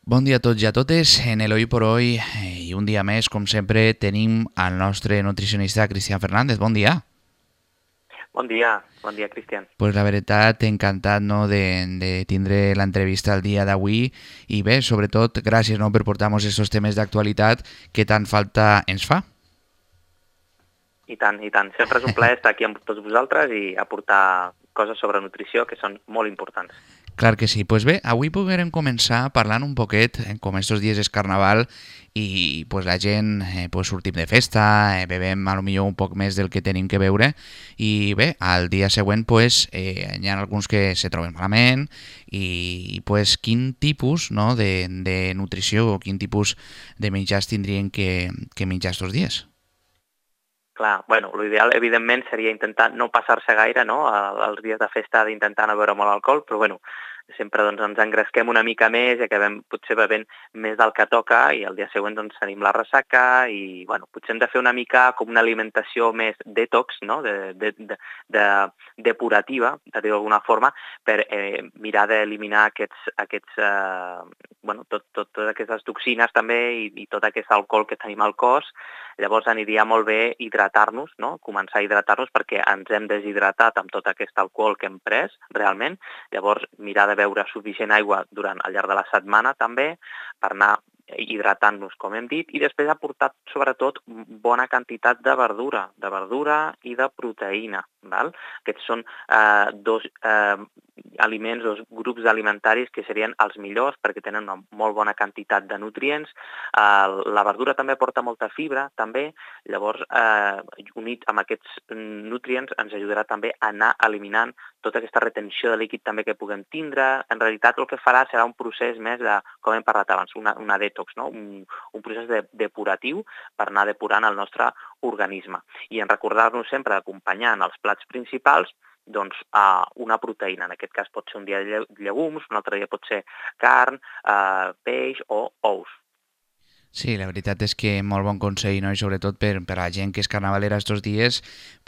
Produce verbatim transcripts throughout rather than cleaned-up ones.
Bon dia a tots i a totes. En el Hoy por Hoy eh, i un dia més, com sempre, tenim el nostre nutricionista Cristian Fernández. Bon dia. Bon dia, bon dia, Cristian. Pues la veritat, encantat no, de, de tindre l'entrevista el dia d'avui i bé, sobretot, gràcies no, per portar-nos aquests temes d'actualitat que tant falta ens fa. I tant, i tant. Sempre és un plaer estar aquí amb tots vosaltres i aportar coses sobre nutrició que són molt importants. Clar que sí. Pues bé, avui podrem començar parlant un poquet, eh, com estos dies és carnaval i pues la gent eh, pues sortim de festa, eh, bevem a lo millor un poc més del que tenim que beure i bé, al dia següent pues eh, hi ha alguns que se troben malament i pues quin tipus no, de, de nutrició o quin tipus de menjars tindrien que, que menjar estos dies? Clar, bueno, l'ideal, evidentment, seria intentar no passar-se gaire, no?, els dies de festa d'intentar no beure molt alcohol, però, bueno, sempre doncs, ens engresquem una mica més i acabem potser bevent més del que toca i el dia següent doncs, tenim la ressaca i bueno, potser hem de fer una mica com una alimentació més detox, no? de, de, de, de depurativa, per dir-ho d'alguna forma, per eh, mirar d'eliminar aquests, aquests, eh, bueno, tot, tot, totes aquestes toxines també i, i tot aquest alcohol que tenim al cos. Llavors aniria molt bé hidratar-nos, no? Començar a hidratar-nos perquè ens hem deshidratat amb tot aquest alcohol que hem pres realment. Llavors mirar de beure suficient aigua durant al llarg de la setmana també per anar hidratant-nos, com hem dit, i després aportar sobretot bona quantitat de verdura, de verdura i de proteïna. Val? Aquests són eh, dos eh, aliments, dos grups alimentaris que serien els millors perquè tenen una molt bona quantitat de nutrients. Eh, la verdura també porta molta fibra, també, llavors eh, unit amb aquests nutrients ens ajudarà també a anar eliminant tota aquesta retenció de líquid també que puguem tindre. En realitat el que farà serà un procés més de, com hem parlat abans, una, una detox, no? un, un procés de, depuratiu per anar depurant el nostre organisme. I en recordar-nos sempre d'acompanyar en els plats principals doncs, uh, una proteïna. En aquest cas pot ser un dia llegums, un altre dia pot ser carn, uh, peix o ous. Sí, la veritat és que molt bon consell, no? I sobretot per, per a la gent que és carnavalera estos dies,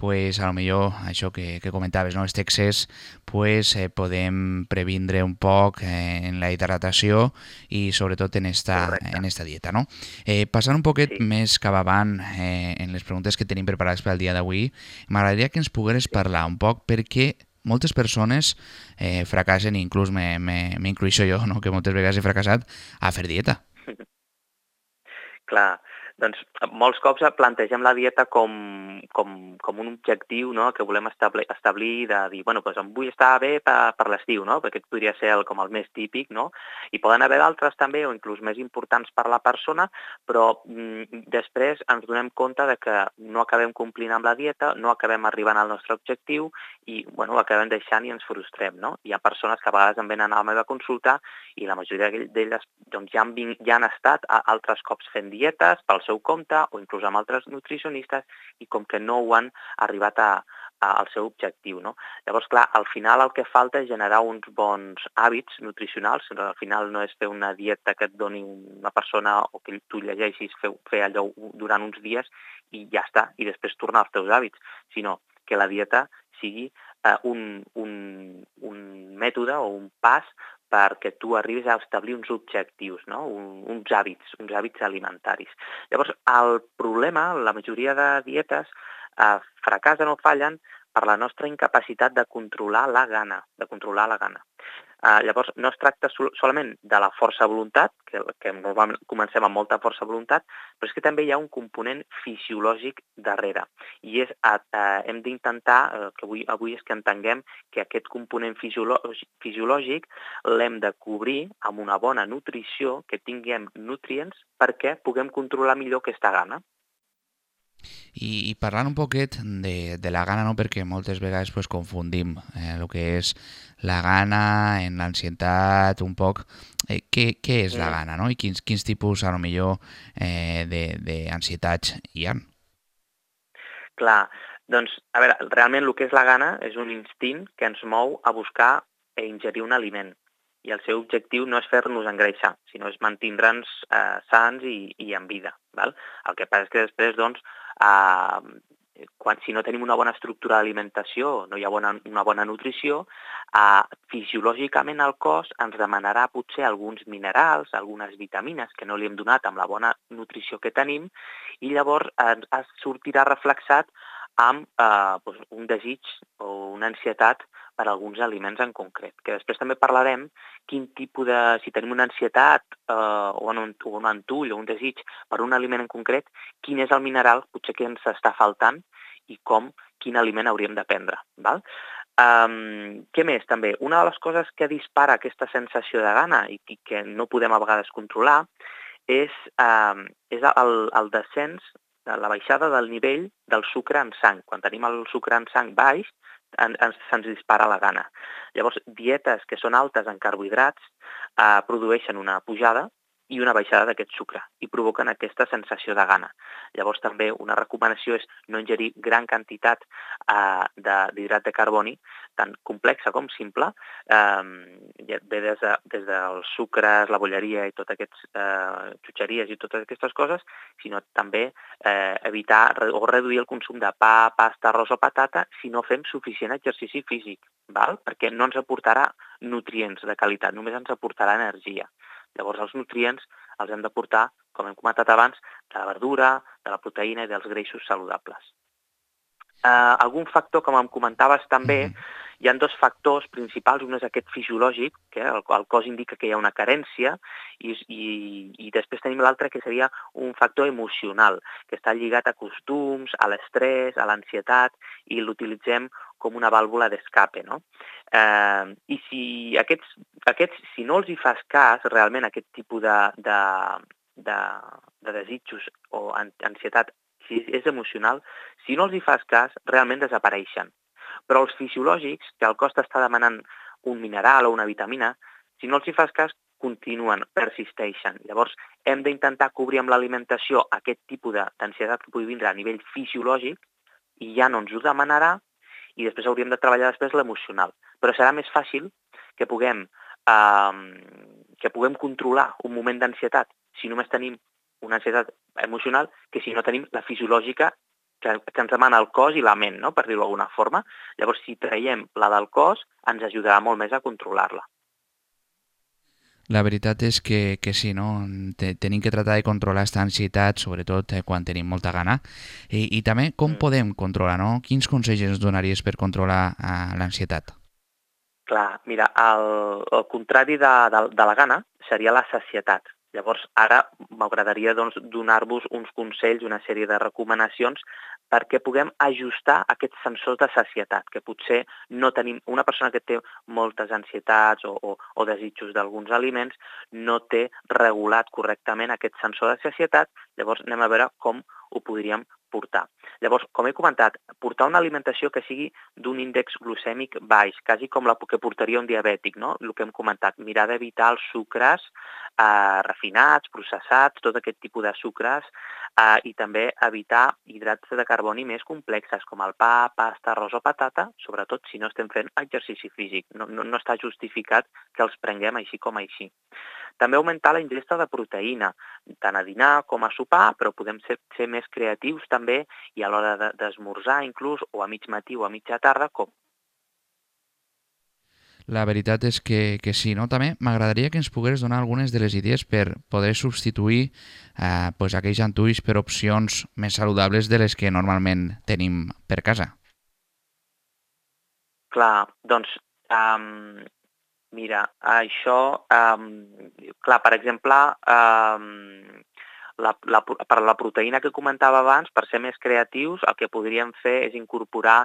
pues a lo millor això que, que comentaves, no? Este excés, pues eh, podem previndre un poc eh, en la hidratació i sobretot en esta, Correcte. en esta dieta, no? Eh, passant un poquet Sí. més cap avant eh, en les preguntes que tenim preparades per al dia d'avui, m'agradaria que ens pogueres Sí. parlar un poc perquè moltes persones eh, fracassen, i inclús m'incluixo jo, no? Que moltes vegades he fracassat a fer dieta. Clar, doncs molts cops plantegem la dieta com, com, com un objectiu, no?, que volem establir, establir de dir, bueno, doncs em vull estar bé per, per l'estiu, no?, perquè aquest podria ser el, com el més típic, no? I poden haver d'altres també, o inclús més importants per la persona, però mm, després ens donem compte de que no acabem complint amb la dieta, no acabem arribant al nostre objectiu i, bueno, acabem deixant i ens frustrem, no? Hi ha persones que a vegades em venen a la meva consulta i la majoria d'elles doncs, ja, han, ja han estat altres cops fent dietes pel seu compte o inclús amb altres nutricionistes i com que no ho han arribat a, a, al seu objectiu. No? Llavors, clar, al final el que falta és generar uns bons hàbits nutricionals. Al final no és fer una dieta que et doni una persona o que tu llegeixis fer, fer allò durant uns dies i ja està, i després tornar als teus hàbits, sinó que la dieta sigui eh, un, un, un mètode o un pas perquè tu arribis a establir uns objectius, no? Un, uns hàbits, uns hàbits alimentaris. Llavors, el problema, la majoria de dietes, eh, fracassen o fallen per la nostra incapacitat de controlar la gana, de controlar la gana. Uh, llavors, no es tracta sol solament de la força de voluntat, que, que normalment comencem amb molta força de voluntat, però és que també hi ha un component fisiològic darrere. I és, uh, uh, hem d'intentar, uh, que avui, avui és que entenguem que aquest component fisiològic, fisiològic l'hem de cobrir amb una bona nutrició, que tinguem nutrients perquè puguem controlar millor aquesta gana. I, i parlant un poquet de, de la gana, no? Perquè moltes vegades pues, confundim eh, el que és la gana en l'ansietat, un poc. Eh, què, què és la Mm. gana, no? I quins, quins tipus, a lo millor, eh, d'ansietats hi ha? Clar, doncs, a veure, realment el que és la gana és un instint que ens mou a buscar i ingerir un aliment. I el seu objectiu no és fer-nos engreixar, sinó és mantindre'ns eh, sants i, i en vida. Val? El que passa és que després, doncs, eh, quan, si no tenim una bona estructura d'alimentació, no hi ha bona, una bona nutrició, eh, fisiològicament el cos ens demanarà potser alguns minerals, algunes vitamines que no li hem donat amb la bona nutrició que tenim, i llavors eh, es sortirà reflexat amb eh, doncs un desig o una ansietat per alguns aliments en concret, que després també parlarem quin tipus de, si tenim una ansietat eh, o, un, o un antull o un desig per un aliment en concret, quin és el mineral potser que ens està faltant i com, quin aliment hauríem de prendre. Val? Um, què més també? Una de les coses que dispara aquesta sensació de gana i que no podem a vegades controlar és, um, és el, el descens, la baixada del nivell del sucre en sang. Quan tenim el sucre en sang baix, en, en, se'ns dispara la gana. Llavors, dietes que són altes en carbohidrats eh, produeixen una pujada i una baixada d'aquest sucre i provoquen aquesta sensació de gana. Llavors també una recomanació és no ingerir gran quantitat eh, d'hidrat de, de carboni, tant complexa com simple, eh, ve des, de, des dels sucres, la bolleria i totes aquestes eh, xutxeries i totes aquestes coses, sinó també eh, evitar o reduir el consum de pa, pasta, arròs o patata si no fem suficient exercici físic, val? Perquè no ens aportarà nutrients de qualitat, només ens aportarà energia. Llavors, els nutrients els hem de portar, com hem comentat abans, de la verdura, de la proteïna i dels greixos saludables. Uh, algun factor, com em comentaves també, mm-hmm. hi ha dos factors principals. Un és aquest fisiològic, que el, el cos indica que hi ha una carència, i, i, i després tenim l'altre, que seria un factor emocional, que està lligat a costums, a l'estrès, a l'ansietat, i l'utilitzem com una vàlvula d'escape, no? Eh, I si aquests, aquests, si no els hi fas cas, realment aquest tipus de, de, de, de desitjos o ansietat, si és emocional, si no els hi fas cas, realment desapareixen. Però els fisiològics, que el cos t'està demanant un mineral o una vitamina, si no els hi fas cas, continuen, persisteixen. Llavors, hem d'intentar cobrir amb l'alimentació aquest tipus d'ansietat que pugui vindre a nivell fisiològic i ja no ens ho demanarà, i després hauríem de treballar després l'emocional. Però serà més fàcil que puguem, eh, que puguem controlar un moment d'ansietat si només tenim una ansietat emocional que si no tenim la fisiològica que, que ens demana el cos i la ment, no? Per dir-ho d'alguna forma. Llavors, si traiem la del cos, ens ajudarà molt més a controlar-la. La veritat és que, que sí, no? Tenim que tratar de controlar aquesta ansietat, sobretot quan tenim molta gana. I, i també com mm. podem controlar, no? Quins consells ens donaries per controlar uh, l'ansietat? Clar, mira, el, el contrari de, de, de la gana seria la sacietat. Llavors, ara m'agradaria doncs, donar-vos uns consells, una sèrie de recomanacions perquè puguem ajustar aquests sensors de sacietat, que potser no tenim... Una persona que té moltes ansietats o, o, o desitjos d'alguns aliments no té regulat correctament aquest sensor de sacietat, llavors anem a veure com ho podríem portar. Llavors, com he comentat, portar una alimentació que sigui d'un índex glucèmic baix, quasi com la que portaria un diabètic, no? El que hem comentat, mirar d'evitar els sucres eh, refinats, processats, tot aquest tipus de sucres, eh, i també evitar hidrats de carboni més complexes, com el pa, pasta, arròs o patata, sobretot si no estem fent exercici físic. No, no, no està justificat que els prenguem així com així. També augmentar la ingesta de proteïna, tant a dinar com a sopar, però podem ser, ser més creatius també i a l'hora de, d'esmorzar inclús, o a mig matí o a mitja tarda, com La veritat és que, que sí, no? També m'agradaria que ens pogués donar algunes de les idees per poder substituir eh, pues, aquells antulls per opcions més saludables de les que normalment tenim per casa. Clar, doncs, um, mira, això, um, clar, per exemple, um, la, la, per la proteïna que comentava abans, per ser més creatius, el que podríem fer és incorporar,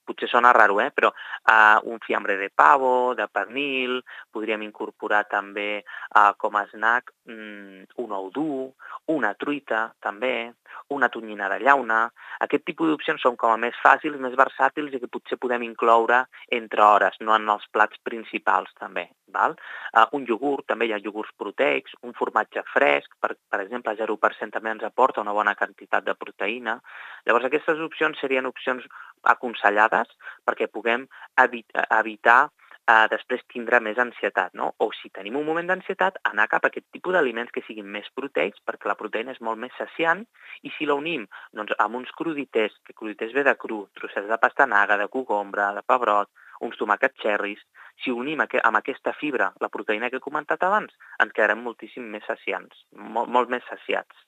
potser sona raro, eh, però uh, un fiambre de pavo, de pernil, podríem incorporar també uh, com a snack um, un ou dur, una truita també, una tonyina de llauna. Aquest tipus d'opcions són com a més fàcils, més versàtils i que potser podem incloure entre hores, no en els plats principals també. Val? Uh, un iogurt, també hi ha iogurts proteics, un formatge fresc, per, per exemple, zero per cent també ens aporta una bona quantitat de proteïna. Llavors, aquestes opcions serien opcions aconsellades perquè puguem evitar eh, després tindrà més ansietat, no? O si tenim un moment d'ansietat, anar cap a aquest tipus d'aliments que siguin més proteics, perquè la proteïna és molt més saciant, i si la unim doncs, amb uns cruditers, que cruditers ve de cru, trossets de pastanaga, de cogombre, de pebrot, uns tomàquets cherries, si unim amb aquesta fibra la proteïna que he comentat abans, ens quedarem moltíssim més saciants, molt, molt més saciats.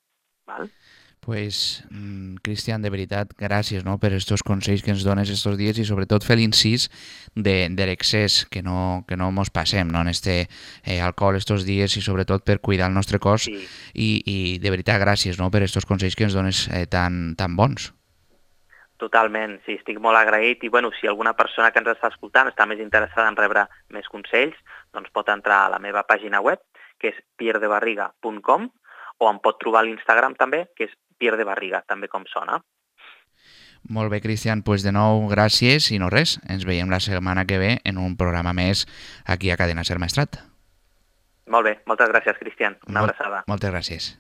Val? Pues, mm, Cristian, de veritat, gràcies, no?, per estos consells que ens dones estos dies i sobretot fer l'incís de, de l'excés, que no, que no mos passem, no?, en este eh, alcohol estos dies i sobretot per cuidar el nostre cos. Sí. I, i de veritat, gràcies, no?, per estos consells que ens dones eh, tan, tan bons. Totalment, sí, estic molt agraït i bueno, si alguna persona que ens està escoltant està més interessada en rebre més consells, doncs pot entrar a la meva pàgina web, que és pierre de barriga punt com, o em pot trobar a l'Instagram també, que és Pierre de Barriga, també com sona. Molt bé, Cristian, doncs de nou gràcies i no res, ens veiem la setmana que ve en un programa més aquí a Cadena Ser Maestrat. Molt bé, moltes gràcies, Cristian. Una Mol abraçada. Moltes gràcies.